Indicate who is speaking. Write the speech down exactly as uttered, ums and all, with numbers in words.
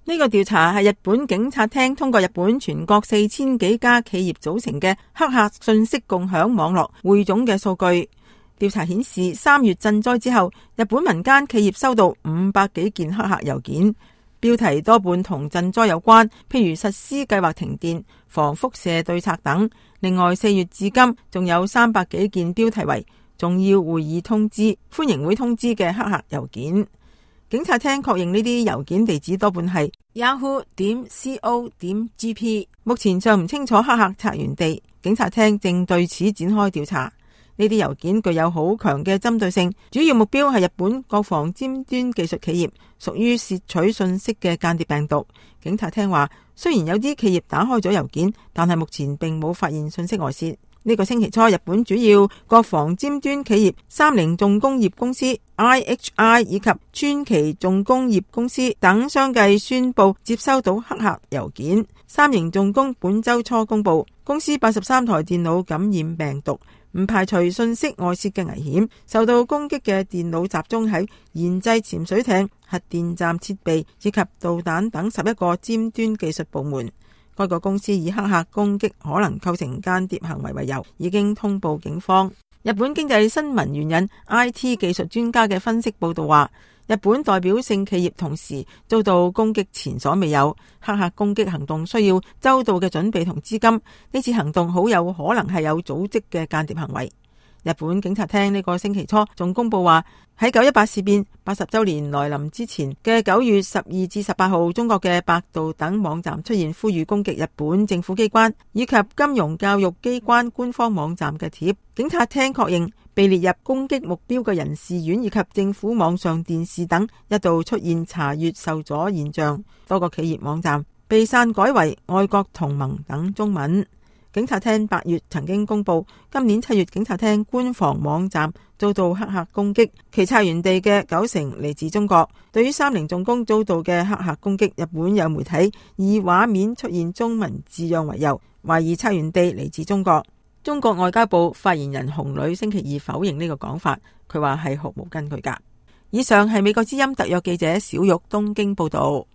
Speaker 1: 呢個調查係日本警察廳通過日本全國四千幾家企業組成嘅黑客信息共享網絡匯總嘅數據。調查顯示，三月震災之後，日本民間企業收到五百幾件黑客郵件，標題多半同震災有關，譬如實施計劃停電、防輻射對策等。另外，四月至今仲有三百幾件標題為重要會議通知、歡迎會通知嘅黑客郵件。警察廳確認呢啲郵件地址多半係 yahoo 點 co 點 jp， 目前尚唔清楚黑客策源地，警察廳正對此展開調查。呢啲郵件具有好強嘅針對性，主要目標係日本國防尖端技術企業，屬於竊取信息嘅間諜病毒。警察廳話，雖然有啲企業打開咗郵件，但係目前並冇發現信息外泄。呢個星期初，日本主要國防尖端企業三菱重工業公司 I H I 以及川崎重工業公司等相繼宣布接收到黑客郵件。三菱重工本周初公布，公司八十三台電腦感染病毒，唔排除信息外泄嘅危險。受到攻擊嘅電腦集中喺研製潛水艇、核電站設備以及導彈等十一個尖端技術部門。該個公司以黑客攻擊可能構成間諜行為為由，已經通報警方。日本經濟新聞援引 I T 技術專家嘅分析報道話，日本代表性企業同時遭到攻擊前所未有，黑客攻擊行動需要周到嘅準備同資金，呢次行動好有可能係有組織嘅間諜行為。日本警察廳呢個星期初仲公布話，喺九一八事變八十周年來臨之前嘅九月十二至十八號，中國嘅百度等網站出現呼籲攻擊日本政府機關以及金融教育機關官方網站嘅貼。警察廳確認被列入攻擊目標嘅人事院以及政府網上電視等一度出現查閱受阻現象，多個企業網站被刪改為愛國同盟等中文。警察廳八月曾經公布，今年七月警察廳官方網站遭到黑客攻擊，其策源地嘅九成嚟自中國。對於三菱重工遭到嘅黑客攻擊，日本有媒體以畫面出現中文字樣為由，懷疑策源地嚟自中國。中國外交部發言人洪磊星期二否認呢個講法，佢話係毫無根據㗎。以上係美國之音特約記者小玉東京報道。